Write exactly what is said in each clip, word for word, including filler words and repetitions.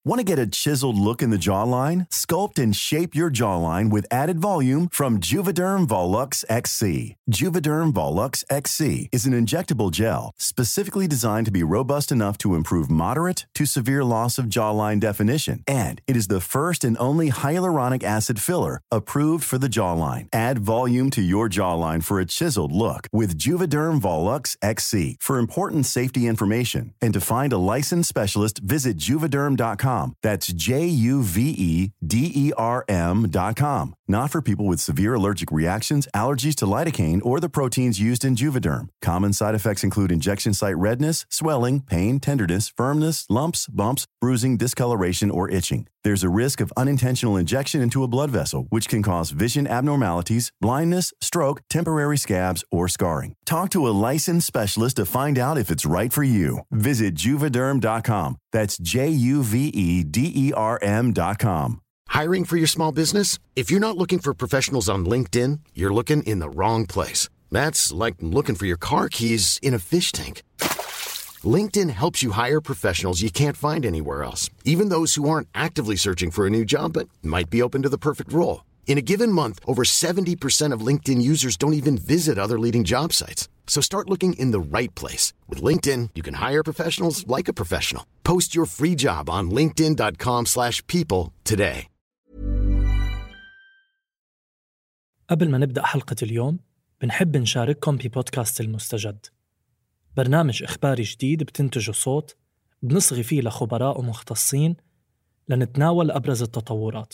Want to get a chiseled look in the jawline? Sculpt and shape your jawline with added volume from Juvederm Volux X C. Juvederm Volux X C is an injectable gel specifically designed to be robust enough to improve moderate to severe loss of jawline definition. And it is the first and only hyaluronic acid filler approved for the jawline. Add volume to your jawline for a chiseled look with Juvederm Volux X C. For important safety information and to find a licensed specialist, visit juvederm dot com. That's J U V E D E R M dot com. Not for people with severe allergic reactions, allergies to lidocaine, or the proteins used in Juvederm. Common side effects include injection site redness, swelling, pain, tenderness, firmness, lumps, bumps, bruising, discoloration, or itching. There's a risk of unintentional injection into a blood vessel, which can cause vision abnormalities, blindness, stroke, temporary scabs, or scarring. Talk to a licensed specialist to find out if it's right for you. Visit juvederm dot com. That's J U V E D E R M dot com. Hiring for your small business? If you're not looking for professionals on LinkedIn, you're looking in the wrong place. That's like looking for your car keys in a fish tank. LinkedIn helps you hire professionals you can't find anywhere else, even those who aren't actively searching for a new job but might be open to the perfect role. In a given month, over seventy percent of LinkedIn users don't even visit other leading job sites. So start looking in the right place. With LinkedIn, you can hire professionals like a professional. Post your free job on linkedin dot com slash people today. قبل ما نبدأ حلقة اليوم، بنحب نشارككم ببودكاست المستجد. برنامج إخباري جديد بتنتجه صوت، بنصغي فيه لخبراء ومختصين لنتناول أبرز التطورات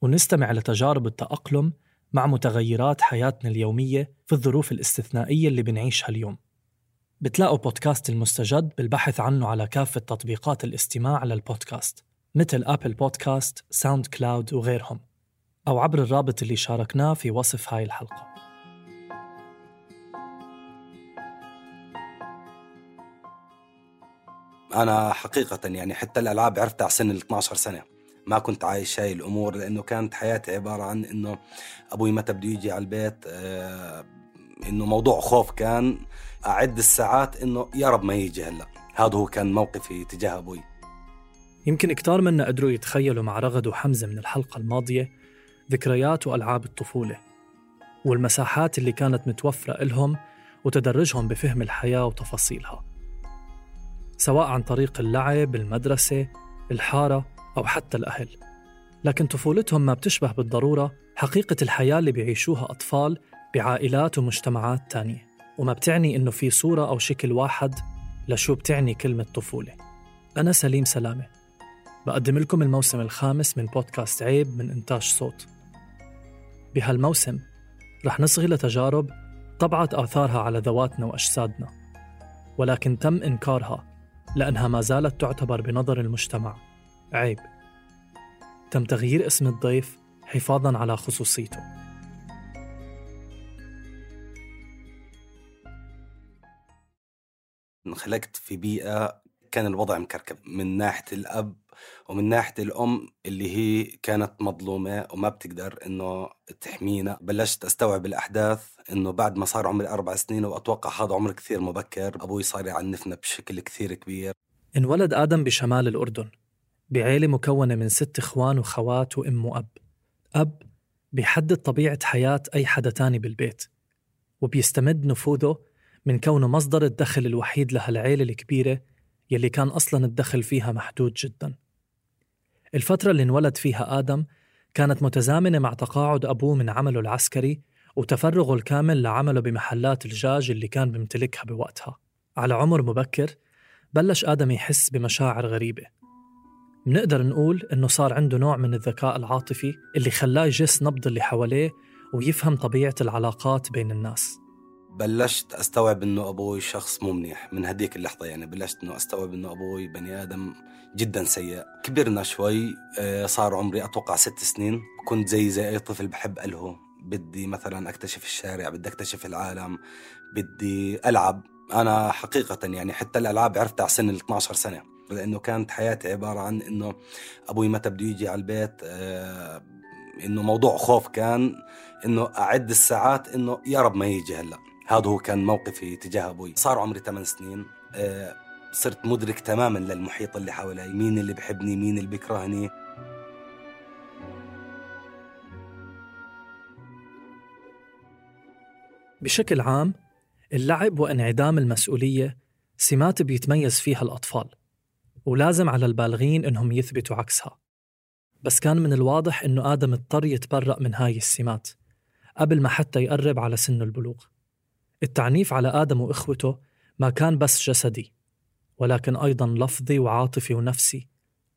ونستمع لتجارب التأقلم مع متغيرات حياتنا اليومية في الظروف الاستثنائية اللي بنعيشها اليوم. بتلاقوا بودكاست المستجد بالبحث عنه على كافة تطبيقات الاستماع للبودكاست مثل أبل بودكاست، ساوند كلاود وغيرهم، أو عبر الرابط اللي شاركناه في وصف هاي الحلقة. أنا حقيقة يعني حتى الألعاب عرفتها على سن اثنا عشر سنة، ما كنت عايش هاي الأمور، لأنه كانت حياتي عبارة عن إنه أبوي متى بده يجي على البيت، آه إنه موضوع خوف، كان أعد الساعات إنه يا رب ما يجي هلأ. هذا هو كان موقفي تجاه أبوي. يمكن كتار منا قدروا يتخيلوا مع رغد وحمزة من الحلقة الماضية ذكريات وألعاب الطفولة والمساحات اللي كانت متوفرة إلهم وتدرجهم بفهم الحياة وتفاصيلها، سواء عن طريق اللعب، المدرسة، الحارة، أو حتى الأهل. لكن طفولتهم ما بتشبه بالضرورة حقيقة الحياة اللي بيعيشوها أطفال بعائلات ومجتمعات تانية، وما بتعني إنه في صورة أو شكل واحد لشو بتعني كلمة طفولة. أنا سليم سلامة، بقدم لكم الموسم الخامس من بودكاست عيب من إنتاج صوت. بهالموسم رح نصغي لتجارب طبعت آثارها على ذواتنا وأجسادنا، ولكن تم إنكارها لأنها ما زالت تعتبر بنظر المجتمع عيب. تم تغيير اسم الضيف حفاظاً على خصوصيته. انخلقت في بيئة كان الوضع مكركب من ناحية الأب ومن ناحية الأم اللي هي كانت مظلومة وما بتقدر إنه تحمينا. بلشت أستوعب الأحداث إنه بعد ما صار عمري أربع سنين، وأتوقع هذا عمر كثير مبكر، أبوي صار يعنفنا بشكل كثير كبير. انولد آدم بشمال الأردن بعائلة مكونة من ست إخوان وخوات وأم وأب. أب بيحدد طبيعة حياة أي حدا تاني بالبيت، وبيستمد نفوذه من كونه مصدر الدخل الوحيد لهالعائلة الكبيرة يلي كان أصلاً الدخل فيها محدود جداً. الفترة اللي انولد فيها آدم كانت متزامنة مع تقاعد أبوه من عمله العسكري وتفرغه الكامل لعمله بمحلات الدجاج اللي كان بيمتلكها بوقتها. على عمر مبكر بلش آدم يحس بمشاعر غريبة. منقدر نقول إنه صار عنده نوع من الذكاء العاطفي اللي خلاه يجس نبض اللي حواليه ويفهم طبيعة العلاقات بين الناس. بلشت أستوعب إنه أبوي شخص مو منيح من هديك اللحظة، يعني بلشت إنه أستوعب إنه أبوي بني آدم جدا سيء. كبرنا شوي، صار عمري أتوقع ست سنين، كنت زي زي أي طفل بحب ألهو، بدي مثلا أكتشف الشارع، بدي أكتشف العالم، بدي ألعب. أنا حقيقة يعني حتى الألعاب عرفتها على سن اثنا عشر سنة، لأنه كانت حياتي عبارة عن إنه أبوي متى بده يجي على البيت، آه إنه موضوع خوف، كان إنه أعد الساعات إنه يا رب ما يجي هلأ. هذا هو كان موقفي تجاه أبوي. صار عمري ثمان سنين، آه صرت مدرك تماماً للمحيط اللي حوالي، مين اللي بحبني مين اللي بيكرهني. بشكل عام اللعب وانعدام المسؤولية سمات بيتميز فيها الأطفال، ولازم على البالغين إنهم يثبتوا عكسها. بس كان من الواضح إنه آدم اضطر يتبرأ من هاي السمات قبل ما حتى يقرب على سن البلوغ. التعنيف على آدم وإخوته ما كان بس جسدي، ولكن أيضاً لفظي وعاطفي ونفسي،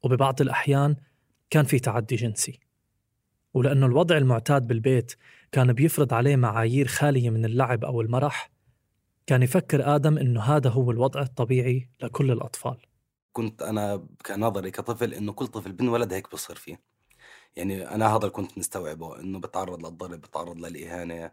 وببعض الأحيان كان في تعدي جنسي. ولأنه الوضع المعتاد بالبيت كان بيفرض عليه معايير خالية من اللعب أو المرح، كان يفكر آدم إنه هذا هو الوضع الطبيعي لكل الأطفال. كنت أنا كنظري كطفل إنه كل طفل بنولد هيك بصير فيه. يعني أنا هذا كنت مستوعبه، إنه بتعرض للضرب، بتعرض للإهانة،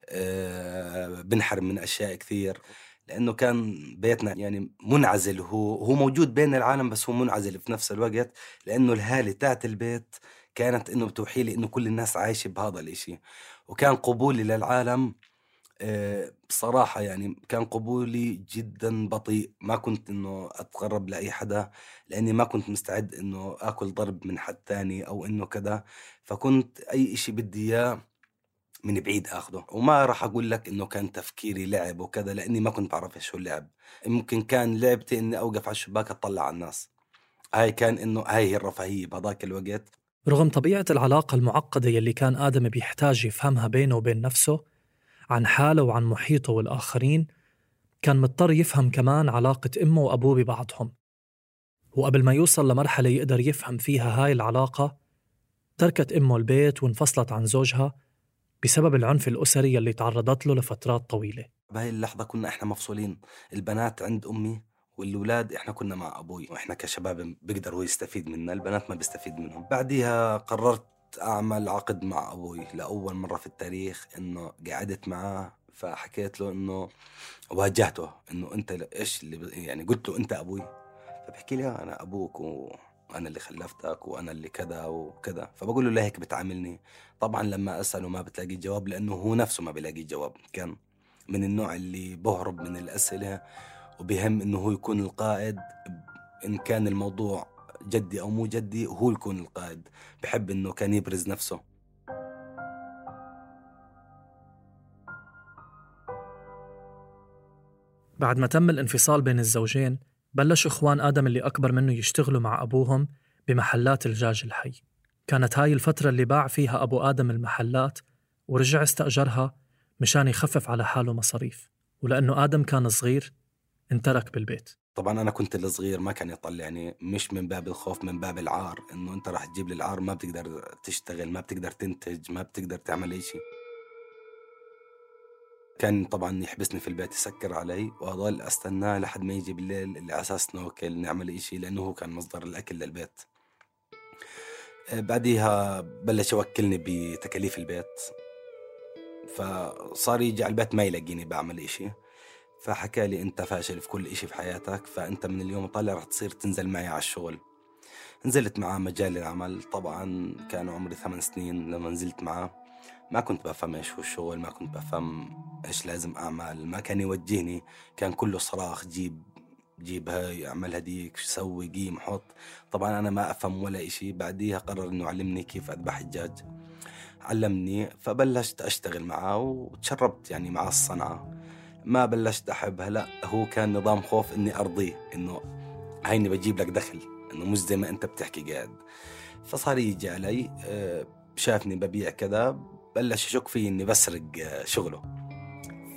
أه بنحرم من أشياء كثير، لأنه كان بيتنا يعني منعزل. هو هو موجود بين العالم بس هو منعزل في نفس الوقت، لأنه الهالة تاعت البيت كانت إنه بتوحي لي إنه كل الناس عايشة بهذا الإشي. وكان قبولي للعالم أه بصراحة يعني كان قبولي جدا بطيء. ما كنت إنه أتقرب لأي حدا، لأني ما كنت مستعد إنه أكل ضرب من حد تاني أو إنه كذا. فكنت أي إشي بدي إياه من بعيد أخده. وما راح أقول لك إنه كان تفكيري لعب وكذا، لأني ما كنت بعرف إيش هو اللعب. ممكن كان لعبتي إني أوقف على الشباك أطلع على الناس. هاي كان إنه هاي هي الرفاهية بهذاك الوقت. رغم طبيعة العلاقة المعقدة يلي كان آدم بيحتاج يفهمها بينه وبين نفسه، عن حاله وعن محيطه والآخرين، كان مضطر يفهم كمان علاقة أمه وأبوه ببعضهم. وقبل ما يوصل لمرحلة يقدر يفهم فيها هاي العلاقة، تركت أمه البيت وانفصلت عن زوجها بسبب العنف الأسري يلي تعرضت له لفترات طويلة. بهاي اللحظة كنا إحنا مفصولين، البنات عند أمي والولاد إحنا كنا مع أبوي. وإحنا كشباب بيقدر هو يستفيد منا، البنات ما بيستفيد منهم. بعديها قررت أعمل عقد مع أبوي لأول مرة في التاريخ. إنه قعدت معاه فحكيت له إنه واجهته إنه أنت إيش اللي يعني قلت له أنت أبوي. فبحكي لي أنا أبوك وأنا اللي خلفتك وأنا اللي كذا وكذا. فبقول له ليه هيك بتعاملني؟ طبعا لما أسأله ما بتلاقي جواب، لأنه هو نفسه ما بيلاقي جواب. كان من النوع اللي بهرب من الأسئلة وبهم إنه هو يكون القائد، إن كان الموضوع جدي أو مو جدي هو يكون القائد. بحب إنه كان يبرز نفسه. بعد ما تم الانفصال بين الزوجين، بلش إخوان آدم اللي أكبر منه يشتغلوا مع أبوهم بمحلات الدجاج الحي. كانت هاي الفترة اللي باع فيها أبو آدم المحلات ورجع استأجرها مشان يخفف على حاله مصاريف. ولأنه آدم كان صغير انترك بالبيت. طبعا أنا كنت الصغير ما كان يطلعني، مش من باب الخوف، من باب العار. إنه أنت راح تجيب لي العار، ما بتقدر تشتغل، ما بتقدر تنتج، ما بتقدر تعمل أي شيء. كان طبعا يحبسني في البيت، يسكر علي وأضل أستناه لحد ما يجي بالليل اللي أساس نوكل نعمل أي شيء، لأنه هو كان مصدر الأكل للبيت. بعديها بلش يوكلني بتكاليف البيت، فصار يجي على البيت ما يلاقيني بعمل إشي. فحكى لي أنت فاشل في كل إشي في حياتك، فأنت من اليوم طالع رح تصير تنزل معي على الشغل. نزلت معاه مجال العمل. طبعا كان عمري ثمان سنين لما نزلت معاه. ما كنت بفهم إيش هو الشغل، ما كنت بفهم إيش لازم أعمل. ما كان يوجهني، كان كله صراخ جيب جيب هاي اعمل هديك سوي قيم حط. طبعا أنا ما أفهم ولا إشي. بعديها قرر إنه علمني كيف أذبح الدجاج، علمني. فبلشت أشتغل معه وتشربت يعني مع الصنعة. ما بلشت أحبها، لا هو كان نظام خوف إني أرضيه، إنه هيني بجيب لك دخل، إنه مش زي ما أنت بتحكي قاعد. فصار يجي علي، شافني ببيع كذا، بلش يشك فيه إني بسرق شغله.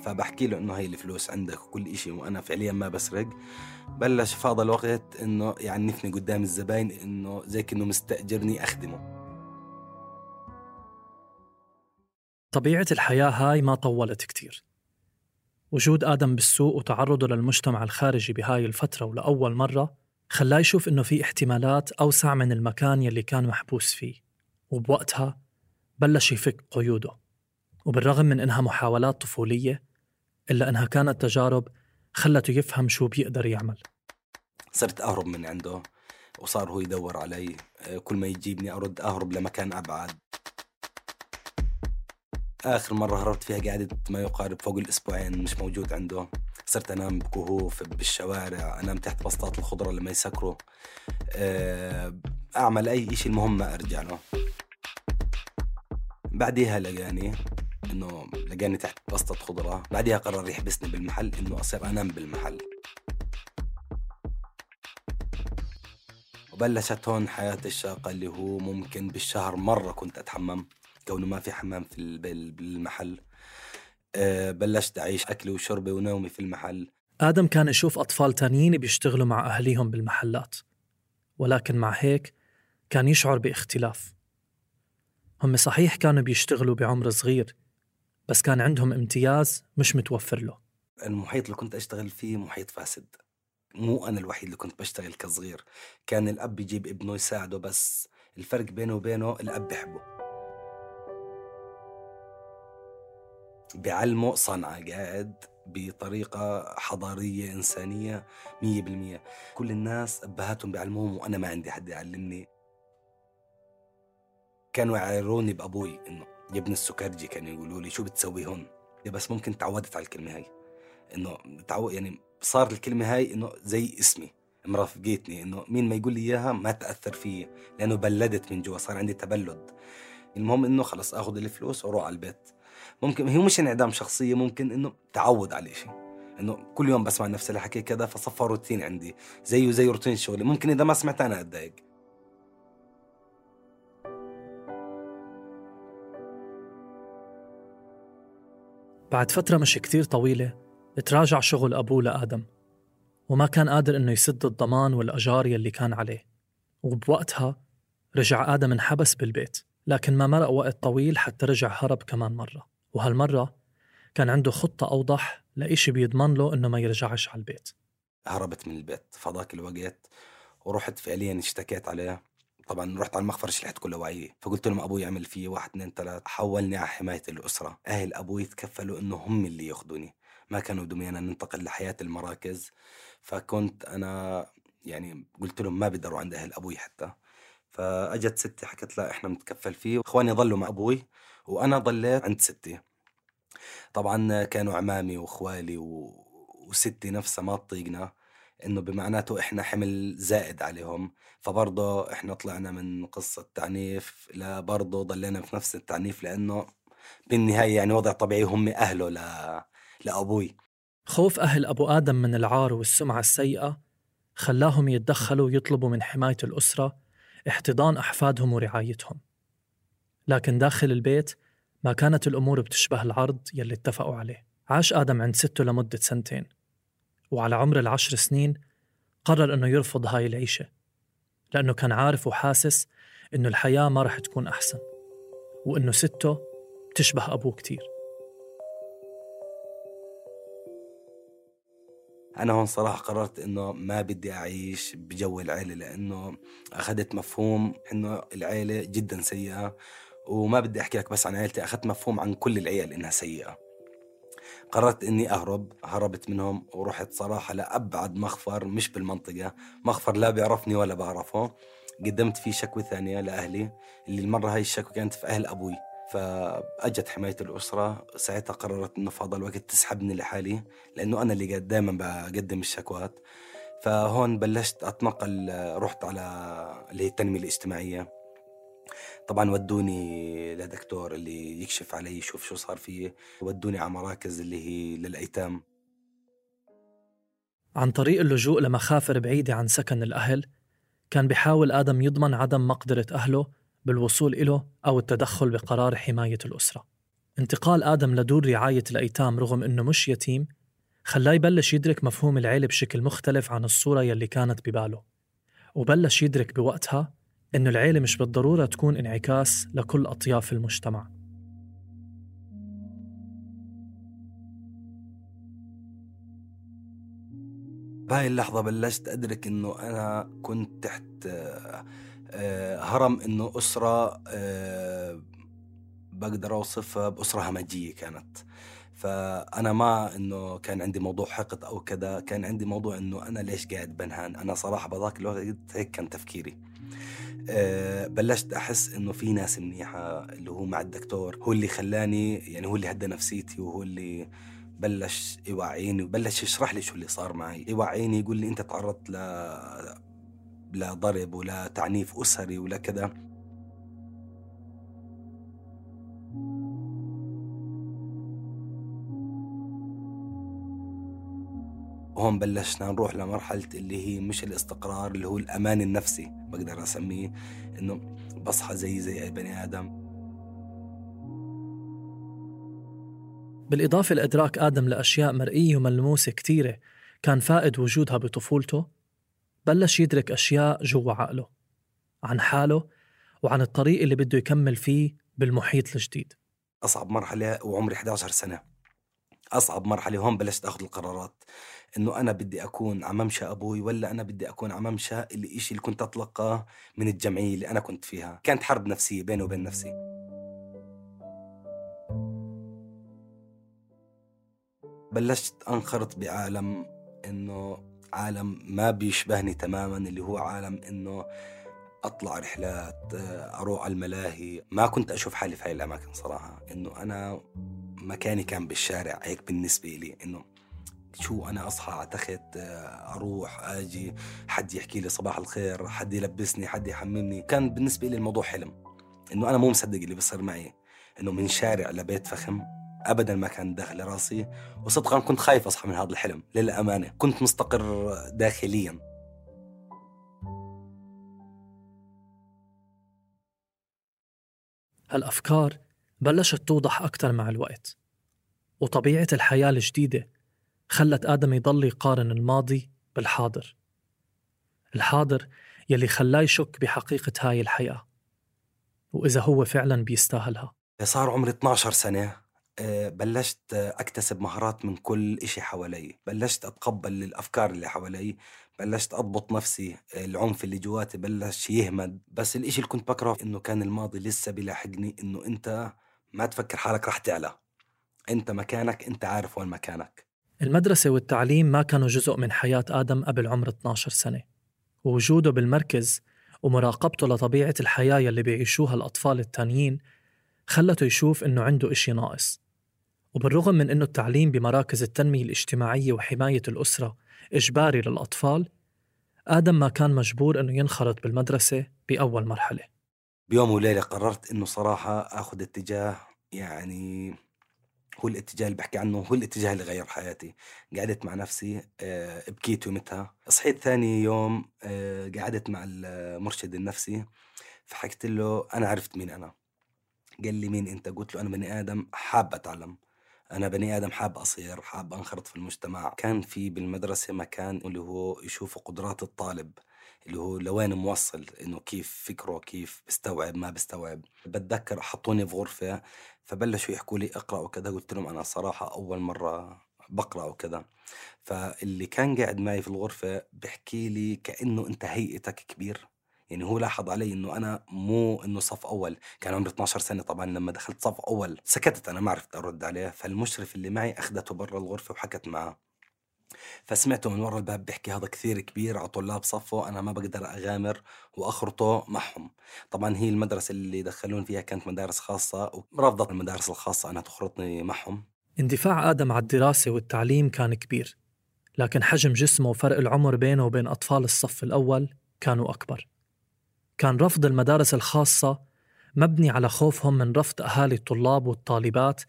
فبحكي له إنه هاي الفلوس عندك وكل إشي وأنا فعليا ما بسرق. بلش فاضل الوقت إنه يعنفني قدام الزباين، إنه زي كأنه مستأجرني أخدمه. طبيعة الحياة هاي ما طولت كتير. وجود آدم بالسوق وتعرضه للمجتمع الخارجي بهاي الفترة ولأول مرة خلاه يشوف إنه في احتمالات أوسع من المكان يلي كان محبوس فيه. وبوقتها بلش يفك قيوده. وبالرغم من إنها محاولات طفولية، إلا إنها كانت تجارب خلته يفهم شو بيقدر يعمل. صرت أهرب من عنده وصار هو يدور علي. كل ما يجيبني أرد أهرب لمكان أبعد. آخر مرة هربت فيها قعدت ما يقارب فوق الأسبوعين مش موجود عنده. صرت أنام بكهوف بالشوارع، أنام تحت بسطات الخضرة لما يسكروا، أعمل أي إشي المهم ما أرجع له. بعديها لقاني إنه لقاني تحت بسطة خضرة، بعديها قرر يحبسني بالمحل إنه أصير أنام بالمحل. وبلشت هون حياة الشاقة اللي هو ممكن بالشهر مرة كنت أتحمم كونه ما في حمام في بالمحل. أه بلشت أعيش أكلي وشربي ونومي في المحل. آدم كان يشوف أطفال تانيين بيشتغلوا مع أهليهم بالمحلات، ولكن مع هيك كان يشعر باختلاف. هم صحيح كانوا بيشتغلوا بعمر صغير، بس كان عندهم امتياز مش متوفر له. المحيط اللي كنت أشتغل فيه محيط فاسد، مو أنا الوحيد اللي كنت بشتغل كصغير. كان الأب يجيب ابنه يساعده، بس الفرق بينه وبينه الأب بيحبه، بيعلمه صنعة، قاعد بطريقة حضارية إنسانية مية بالمية. كل الناس أبهاتهم بيعلموهم وأنا ما عندي حد يعلمني. كانوا يعيروني بأبوي إنه يا ابن السكرجي، كانوا يقولوا لي شو بتسوي هون، بس ممكن تعودت على الكلمة هاي، إنه تعود يعني صار الكلمة هاي إنه زي اسمي، مرافقتني، إنه مين ما يقول لي إياها ما تأثر فيه لأنه بلدت من جوا، صار عندي تبلد. المهم إنه خلص أخذ الفلوس وأروح على البيت. ممكن هي مش انعدام شخصية، ممكن إنه تعود على شيء، إنه كل يوم بسمع نفس الحكي كذا، فصفى روتين عندي زيه زي روتين شغلي. ممكن إذا ما سمعت أنا أتضايق. بعد فترة مش كتير طويلة تراجع شغل أبوه لآدم، وما كان قادر إنه يسد الضمان والأجار يلي كان عليه. وبوقتها رجع آدم انحبس بالبيت، لكن ما مرق وقت طويل حتى رجع هرب كمان مرة، وهالمرة كان عنده خطة أوضح لإشي بيضمن له إنه ما يرجعش على البيت. هربت من البيت فضاك الوقت ورحت فعليا اشتكيت عليه. طبعا رحت على المخفر شلحت كل وعيه، فقلت لهم أبوي يعمل فيه واحد اثنين ثلاث، حولني على حماية الأسرة. أهل أبوي تكفلوا إنه هم اللي ياخدوني، ما كانوا بدهم أنا ننتقل لحياة المراكز. فكنت أنا يعني قلت لهم ما بيقدروا عند أهل أبوي حتى. فأجت ستي حكت لا إحنا متكفل فيه، وإخواني ضلوا مع أبوي وأنا ضليت عند ستي. طبعا كانوا عمامي وإخوالي و... وستي نفسها ما تطيقنا، إنه بمعناته إحنا حمل زائد عليهم. فبرضه إحنا طلعنا من قصة تعنيف لا برضه ضلينا في نفس التعنيف، لأنه بالنهاية يعني وضع طبيعي هم أهله ل... لأبوي. خوف أهل أبو آدم من العار والسمعة السيئة خلاهم يتدخلوا ويطلبوا من حماية الأسرة احتضان أحفادهم ورعايتهم. لكن داخل البيت ما كانت الأمور بتشبه العرض يلي اتفقوا عليه. عاش آدم عند سته لمدة سنتين، وعلى عمر العشر سنين قرر أنه يرفض هاي العيشة، لأنه كان عارف وحاسس أنه الحياة ما رح تكون أحسن، وأنه سته بتشبه أبوه كتير. أنا هون صراحة قررت إنه ما بدي أعيش بجو العيلة، لأنه أخذت مفهوم إنه العيلة جدا سيئة، وما بدي أحكي لك بس عن عيلتي، أخذت مفهوم عن كل العيال إنها سيئة. قررت إني أهرب، هربت منهم ورحت صراحة لأبعد مخفر مش بالمنطقة، مخفر لا بيعرفني ولا بعرفه. قدمت فيه شكوى ثانية لأهلي، اللي المرة هاي الشكوى كانت في أهل أبوي. فأجت حماية الأسرة، ساعتها قررت إنه فاضل الوقت تسحبني لحالي، لأنه أنا اللي دائما بقدم الشكوات. فهون بلشت أتنقل، رحت على اللي هي التنمية الاجتماعية. طبعا ودوني لدكتور اللي يكشف علي يشوف شو صار فيه، ودوني على مراكز اللي هي للأيتام. عن طريق اللجوء لمخافر بعيدة عن سكن الأهل كان بيحاول آدم يضمن عدم مقدرة أهله بالوصول إله أو التدخل بقرار حماية الأسرة. انتقال آدم لدور رعاية الأيتام رغم أنه مش يتيم خلاه يبلش يدرك مفهوم العيلة بشكل مختلف عن الصورة يلي كانت بباله، وبلش يدرك بوقتها إنه العيلة مش بالضرورة تكون انعكاس لكل أطياف المجتمع. بهاي اللحظة بلشت أدرك إنه أنا كنت تحت هرم، إنه أسرة بقدر أوصفها بأسرة همجية كانت. فأنا ما إنه كان عندي موضوع حقد أو كذا، كان عندي موضوع إنه أنا ليش قاعد بنهان. أنا صراحة بذاك الوقت هيك كان تفكيري. أه بلشت أحس إنه في ناس منيحة، اللي هو مع الدكتور هو اللي خلاني، يعني هو اللي هدى نفسيتي، وهو اللي بلش يوعيني وبلش يشرح لي شو اللي صار معي، يوعيني يقول لي أنت تعرضت ل لضرب ولا تعنيف أسري ولا كذا. وهون بلشنا نروح لمرحلة اللي هي مش الاستقرار، اللي هو الأمان النفسي بقدر أسميه، إنه بصحى زي زي أي بني آدم. بالإضافة لإدراك آدم لأشياء مرئية وملموسة كتيرة كان فائد وجودها بطفولته، بلش يدرك أشياء جوا عقله عن حاله وعن الطريق اللي بده يكمل فيه بالمحيط الجديد. أصعب مرحلة وعمري إحدى عشرة سنة، أصعب مرحلة هون بلشت أخذ القرارات، إنه أنا بدي أكون عممشى أبوي ولا أنا بدي أكون عممشى اللي إشي اللي كنت أطلقه من الجمعية اللي أنا كنت فيها. كانت حرب نفسية بيني وبين نفسي. بلشت أنخرط بعالم إنه عالم ما بيشبهني تماماً، اللي هو عالم إنه أطلع رحلات، أروح على الملاهي. ما كنت أشوف حالي في هاي الأماكن صراحة، إنه أنا مكاني كان بالشارع. هيك بالنسبة لي إنه شو أنا أصحى على تخت، أروح أجي، حد يحكي لي صباح الخير، حد يلبسني، حد يحممني. كان بالنسبة لي الموضوع حلم، إنه أنا مو مصدق اللي بيصير معي، إنه من شارع لبيت فخم أبداً ما كان داخل راسي. وصدقاً كنت خايف أصحى من هذا الحلم، للأمانة كنت مستقر داخلياً. هالأفكار بلشت توضح أكتر مع الوقت، وطبيعة الحياة الجديدة خلت آدم يضل يقارن الماضي بالحاضر، الحاضر يلي خلاه يشك بحقيقة هاي الحياة وإذا هو فعلاً بيستاهلها. صار عمري اثني عشر سنة، بلشت أكتسب مهارات من كل إشي حوالي، بلشت أتقبل الأفكار اللي حوالي، بلشت أضبط نفسي، العنف اللي جواتي بلش يهمد. بس الإشي اللي كنت بكره إنه كان الماضي لسه بيلاحقني، إنه أنت ما تفكر حالك رح تعلى، أنت مكانك، أنت عارف وين مكانك. المدرسة والتعليم ما كانوا جزء من حياة آدم قبل عمر اثني عشر سنة، ووجوده بالمركز ومراقبته لطبيعة الحياة يلي بيعيشوها الأطفال التانيين خلته يشوف إنه عنده إشي ناقص. وبالرغم من إنه التعليم بمراكز التنمية الاجتماعية وحماية الأسرة إجباري للأطفال، آدم ما كان مجبور إنه ينخرط بالمدرسة بأول مرحلة. بيوم وليلة قررت إنه صراحة أخذ اتجاه، يعني هو الاتجاه اللي بحكي عنه، هو الاتجاه اللي غير حياتي. قعدت مع نفسي، أه بكيت يومتها. صحيت ثاني يوم، أه قعدت مع المرشد النفسي، فحكت له أنا عرفت مين أنا. قال لي مين أنت؟ قلت له أنا بني آدم حاب أتعلم، أنا بني آدم حاب أصير، حاب أنخرط في المجتمع. كان في بالمدرسة مكان اللي هو يشوفوا قدرات الطالب، اللي هو لوين موصل، إنه كيف فكره، كيف بستوعب ما بستوعب. بتذكر حطوني في غرفة، فبلشوا يحكوا لي أقرأ وكذا. قلت لهم أنا صراحة أول مرة بقرأ وكذا. فاللي كان قاعد معي في الغرفة بحكي لي كأنه أنت هيئتك كبير، يعني هو لاحظ علي إنه أنا مو إنه صف أول. كان عمري اثني عشر سنة طبعاً. لما دخلت صف أول سكتت، أنا ما عرفت أرد عليه. فالمشرف اللي معي أخذته برا الغرفة وحكت معه، فسمعته من ورا الباب بيحكي هذا كثير كبير على طلاب صفه، أنا ما بقدر أغامر وأخرطه معهم. طبعاً هي المدرسة اللي دخلون فيها كانت مدارس خاصة، ورفضت المدارس الخاصة أنا تخرطني معهم. اندفاع آدم على الدراسة والتعليم كان كبير، لكن حجم جسمه وفرق العمر بينه وبين أطفال الصف الأول كانوا أكبر. كان رفض المدارس الخاصة مبني على خوفهم من رفض أهالي الطلاب والطالبات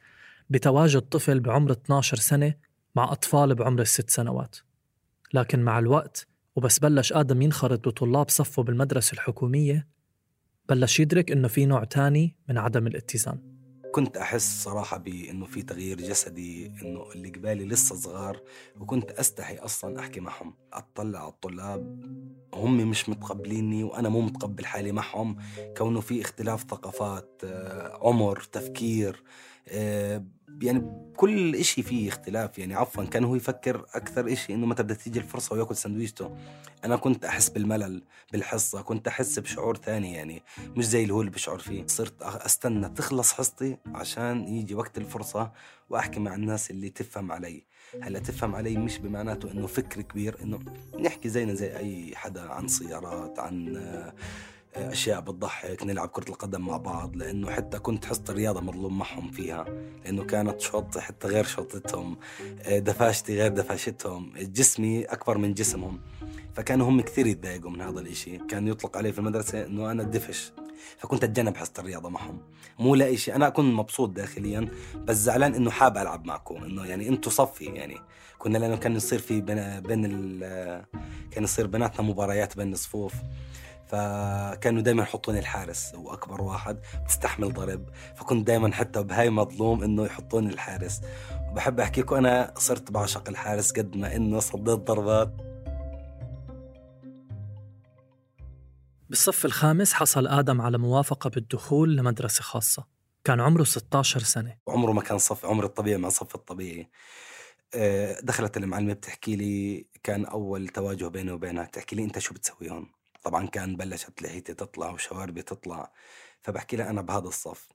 بتواجد طفل بعمر اثني عشر سنة مع أطفال بعمر الست سنوات. لكن مع الوقت وبس بلش آدم ينخرط بطلاب صفه بالمدرسة الحكومية، بلش يدرك إنه في نوع تاني من عدم الاتزان. كنت أحس صراحة بأنه في تغيير جسدي، أنه اللي قبالي لسه صغار، وكنت أستحي أصلاً أحكي معهم. أطلع على الطلاب هم مش متقبليني وأنا مو متقبل حالي معهم، كونه في اختلاف ثقافات، عمر، تفكير، يعني كل إشي فيه اختلاف. يعني عفواً كان هو يفكر أكثر إشي إنه متى بدها تيجي الفرصة ويأكل سندويشته. أنا كنت أحس بالملل بالحصة، كنت أحس بشعور ثاني، يعني مش زي اللي هو اللي بشعر فيه. صرت أستنى تخلص حصتي عشان يجي وقت الفرصة وأحكي مع الناس اللي تفهم علي. هلا تفهم علي مش بمعناته إنه فكر كبير، إنه نحكي زينا زي أي حدا عن سيارات، عن أشياء بتضحك، نلعب كرة القدم مع بعض، لأنه حتى كنت حصة الرياضة مظلوم معهم فيها، لأنه كانت شوط حتى غير شوطتهم، دفاشتي غير دفاشتهم، جسمي أكبر من جسمهم، فكانوا هم كثير يتضايقوا من هذا الإشي. كان يطلق عليه في المدرسة أنه أنا الدفش، فكنت أتجنب حصة الرياضة معهم. مو لا إشي، أنا أكون مبسوط داخليا بس زعلان إنه حاب ألعب معكم، إنه يعني أنتوا صفي. يعني كنا لأنه كان يصير في بين, بين ال كان يصير بيناتنا مباريات بين الصفوف، فكانوا دايما يحطوني الحارس، وأكبر واحد بتستحمل ضرب، فكنت دايما حتى بهاي مظلوم إنه يحطوني الحارس. وبحب أحكيكم أنا صرت بعشق الحارس قد ما إنه صديت ضربات. بالصف الخامس حصل آدم على موافقة بالدخول لمدرسة خاصة. كان عمره ستة عشر سنة، وعمره ما كان صف عمر الطبيعي مع صف الطبيعي. دخلت المعلمة بتحكي لي، كان أول تواجه بيني وبينها، تحكي لي أنت شو بتسوي هون؟ طبعا كان بلشت لحيتي تطلع وشواربي تطلع، فبحكي لها أنا بهذا الصف.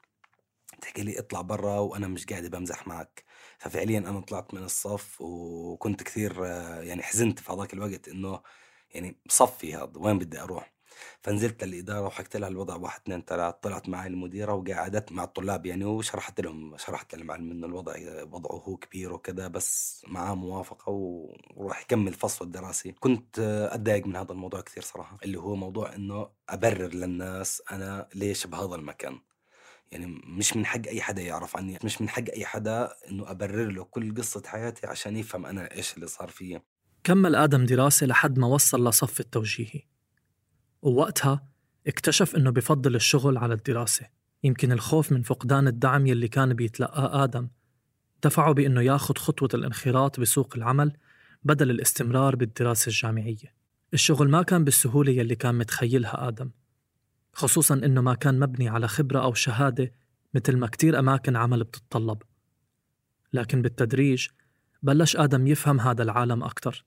تحكي لي اطلع برا وأنا مش قاعدة بمزح معك. ففعليا أنا طلعت من الصف وكنت كثير يعني حزنت في هذاك الوقت إنه يعني صفي هذا وين بدي أروح. فنزلت للإدارة وحكت لها الوضع واحد اثنين ثلاث. طلعت معي المديرة وقعدت مع الطلاب يعني، وشرحت لهم شرحت للمعلم إنه الوضع وضعه هو كبير وكذا، بس معاه موافقة وراح يكمل فصله الدراسي. كنت أتضايق من هذا الموضوع كثير صراحة، اللي هو موضوع إنه أبرر للناس أنا ليش بهذا المكان. يعني مش من حق أي حدا يعرف عني، مش من حق أي حدا إنه أبرر له كل قصة حياتي عشان يفهم أنا إيش اللي صار فيه. كمل آدم دراسة لحد ما وصل لصف التوجيهي، ووقتها اكتشف إنه بفضل الشغل على الدراسة. يمكن الخوف من فقدان الدعم يلي كان بيتلقاه آدم دفعه بإنه ياخد خطوة الانخراط بسوق العمل بدل الاستمرار بالدراسة الجامعية. الشغل ما كان بالسهولة يلي كان متخيلها آدم، خصوصاً إنه ما كان مبني على خبرة أو شهادة مثل ما كتير أماكن عمل بتتطلب. لكن بالتدريج بلش آدم يفهم هذا العالم أكتر،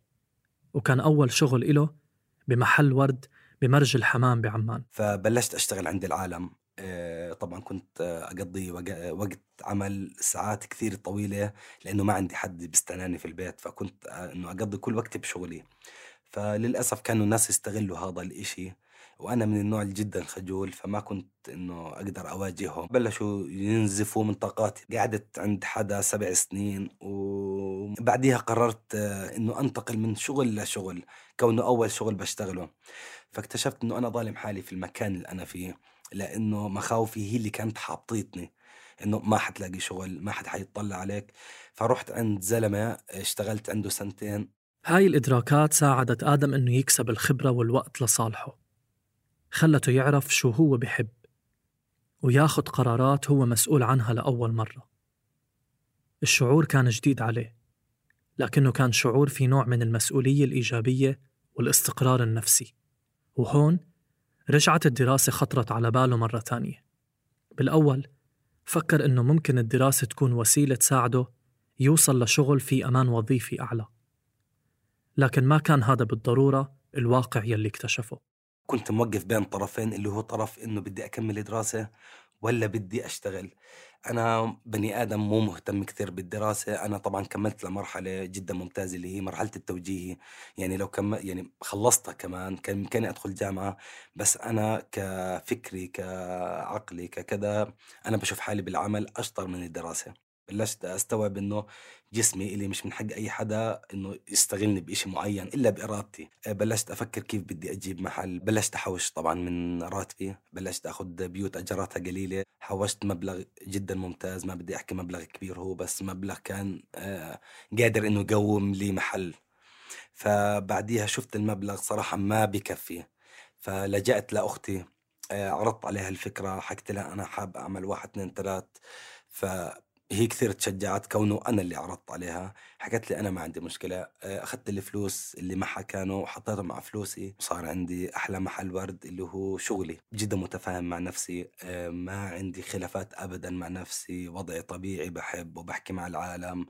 وكان أول شغل إله بمحل ورد بمرج الحمام بعمان. فبلشت أشتغل عند العالم. طبعا كنت أقضي وقت عمل ساعات كثير طويلة لأنه ما عندي حد بيستناني في البيت، فكنت إنه أقضي كل وقتي بشغلي. فللأسف كانوا الناس يستغلوا هذا الإشي، وأنا من النوع جدا خجول، فما كنت إنه أقدر أواجههم. بلشوا ينزفوا من طاقاتي. قعدت عند حدا سبع سنين، وبعديها قررت إنه أنتقل من شغل لشغل، كونه أول شغل بشتغله. فاكتشفت إنه أنا ظالم حالي في المكان اللي أنا فيه، لأنه مخاوفي هي اللي كانت حاطيتني إنه ما حتلاقي شغل، ما حد حيطلع عليك. فرحت عند زلمة اشتغلت عنده سنتين. هاي الإدراكات ساعدت آدم إنه يكسب الخبرة والوقت لصالحه، خلته يعرف شو هو بحب وياخد قرارات هو مسؤول عنها لأول مرة. الشعور كان جديد عليه، لكنه كان شعور في نوع من المسؤولية الإيجابية والاستقرار النفسي. وهون رجعت الدراسة خطرت على باله مرة تانية. بالأول فكر إنه ممكن الدراسة تكون وسيلة تساعده يوصل لشغل في أمان وظيفي أعلى، لكن ما كان هذا بالضرورة الواقع يلي اكتشفه. كنت موقف بين طرفين، اللي هو طرف إنه بدي أكمل دراسة ولا بدي أشتغل. أنا بني آدم مو مهتم كثير بالدراسة. أنا طبعا كملت لمرحلة جدا ممتازة اللي هي مرحلة التوجيهي، يعني لو كم يعني خلصتها كمان كان ممكن أدخل جامعة، بس أنا كفكري كعقلي ككذا أنا بشوف حالي بالعمل أشطر من الدراسة. بلشت أستوعب إنه جسمي اللي مش من حق أي حدا إنه يستغلني بإشي معين إلا بإرادتي. بلشت أفكر كيف بدي أجيب محل. بلشت أحوش طبعا من راتبي، بلشت أخذ بيوت أجراتها قليلة. حوشت مبلغ جدا ممتاز، ما بدي أحكي مبلغ كبير هو، بس مبلغ كان آه قادر إنه يقوم لي محل. فبعديها شفت المبلغ صراحة ما بكفي، فلجأت لأختي، آه عرضت عليها الفكرة، حكت لها أنا حاب أعمل واحد اثنين ثلاث. ف هي كثير تشجعت كونه أنا اللي عرضت عليها. حكت لي أنا ما عندي مشكلة. أخذت الفلوس اللي معها كانوا وحطيتهم مع فلوسي، وصار عندي أحلى محل ورد اللي هو شغلي. جدا متفاهم مع نفسي، ما عندي خلافات أبدا مع نفسي، وضعي طبيعي، بحب وبحكي مع العالم،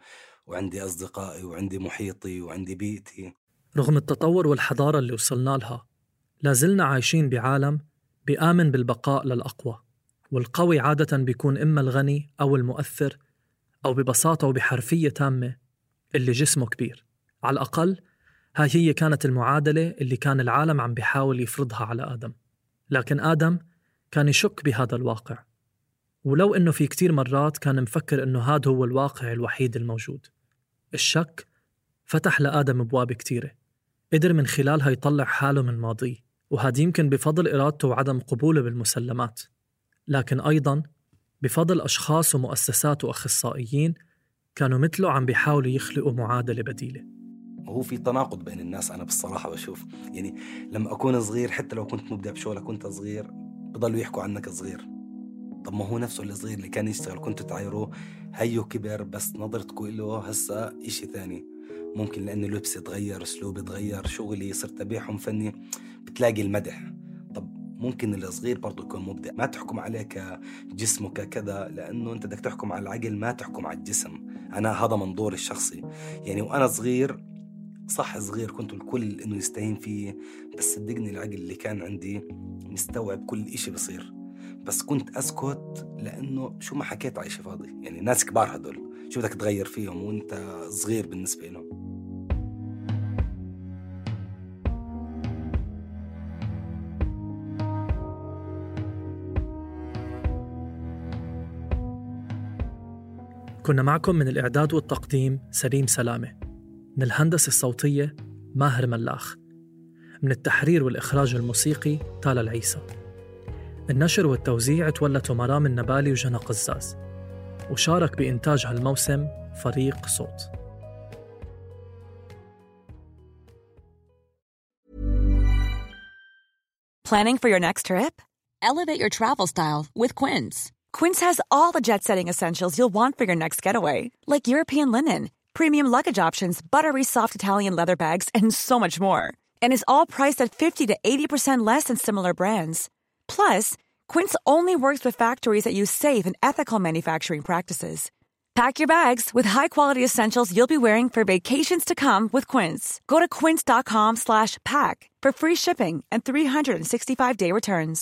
وعندي أصدقائي وعندي محيطي وعندي بيئتي. رغم التطور والحضارة اللي وصلنا لها، لازلنا عايشين بعالم بيآمن بالبقاء للأقوى، والقوي عادة بيكون إما الغني أو المؤثر، أو ببساطة وبحرفية تامة اللي جسمه كبير. على الأقل هاي هي كانت المعادلة اللي كان العالم عم بيحاول يفرضها على آدم. لكن آدم كان يشك بهذا الواقع، ولو إنه في كتير مرات كان مفكر إنه هذا هو الواقع الوحيد الموجود. الشك فتح لآدم أبواب كتيرة، قدر من خلالها يطلع حاله من ماضيه، وهذا يمكن بفضل إرادته وعدم قبوله بالمسلمات، لكن أيضاً بفضل أشخاص ومؤسسات وأخصائيين كانوا مثله عم بيحاولوا يخلقوا معادلة بديلة. وهو في تناقض بين الناس. أنا بالصراحة بشوف يعني لما أكون صغير، حتى لو كنت مبدع بشغلك كنت صغير، بضلوا يحكوا عنك صغير. طب ما هو نفسه الصغير اللي كان يشتغل كنت تعايروه هيو كبر، بس نظرتكوا له هسا إشي ثاني. ممكن لأنه لبسي اتغير، أسلوبي اتغير، شغلي صرت أبيعهم فني، بتلاقي المدح. طب ممكن الصغير برضو يكون مبدع. ما تحكم عليه كجسمه ككذا، لأنه أنت بدك تحكم على العقل، ما تحكم على الجسم. أنا هذا منظوري الشخصي يعني. وأنا صغير صح صغير كنت الكل إنه يستهين فيه، بس صدقني العقل اللي كان عندي مستوعب كل إشي بصير، بس كنت أسكت لأنه شو ما حكيت عايشة فاضي. يعني ناس كبار هدول شو بدك تغير فيهم وانت صغير بالنسبة لهم. كنا معكم من الإعداد والتقديم سليم سلامة، من الهندسة الصوتية ماهر ملاخ، من التحرير والإخراج الموسيقي تالا العيسى. النشر والتوزيع تولته مرام النبالي وجنى قزاز، وشارك بإنتاج هالموسم فريق صوت. Planning for your next trip? Elevate your travel style with Quince. Quince has all the jet-setting essentials you'll want for your next getaway, like European linen, premium luggage options, buttery soft Italian leather bags, and so much more. And is all priced at fifty to eighty percent less than similar brands. Plus, Quince only works with factories that use safe and ethical manufacturing practices. Pack your bags with high-quality essentials you'll be wearing for vacations to come with Quince. Go to quince.com slash pack for free shipping and three sixty-five day returns.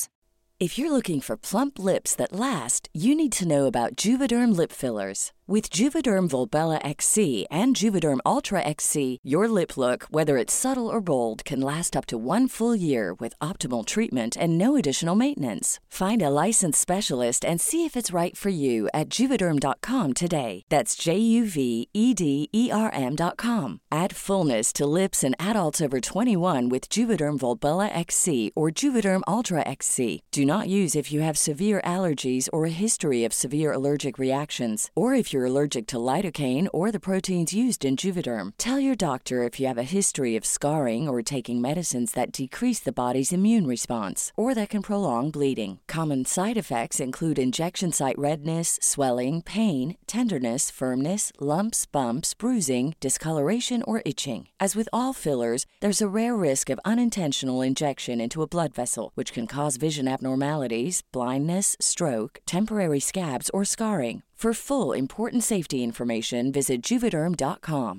If you're looking for plump lips that last, you need to know about Juvederm lip fillers. With Juvederm Volbella X C and Juvederm Ultra X C, your lip look, whether it's subtle or bold, can last up to one full year with optimal treatment and no additional maintenance. Find a licensed specialist and see if it's right for you at Juvederm dot com today. That's J U V E D E R M dot com. Add fullness to lips in adults over twenty-one with Juvederm Volbella X C or Juvederm Ultra X C. Do not use if you have severe allergies or a history of severe allergic reactions, or if you're allergic to lidocaine or the proteins used in Juvederm. Tell your doctor if you have a history of scarring or taking medicines that decrease the body's immune response or that can prolong bleeding. Common side effects include injection site redness, swelling, pain, tenderness, firmness, lumps, bumps, bruising, discoloration, or itching. As with all fillers, there's a rare risk of unintentional injection into a blood vessel, which can cause vision abnormalities, blindness, stroke, temporary scabs, or scarring. For full important safety information, visit Juvederm dot com.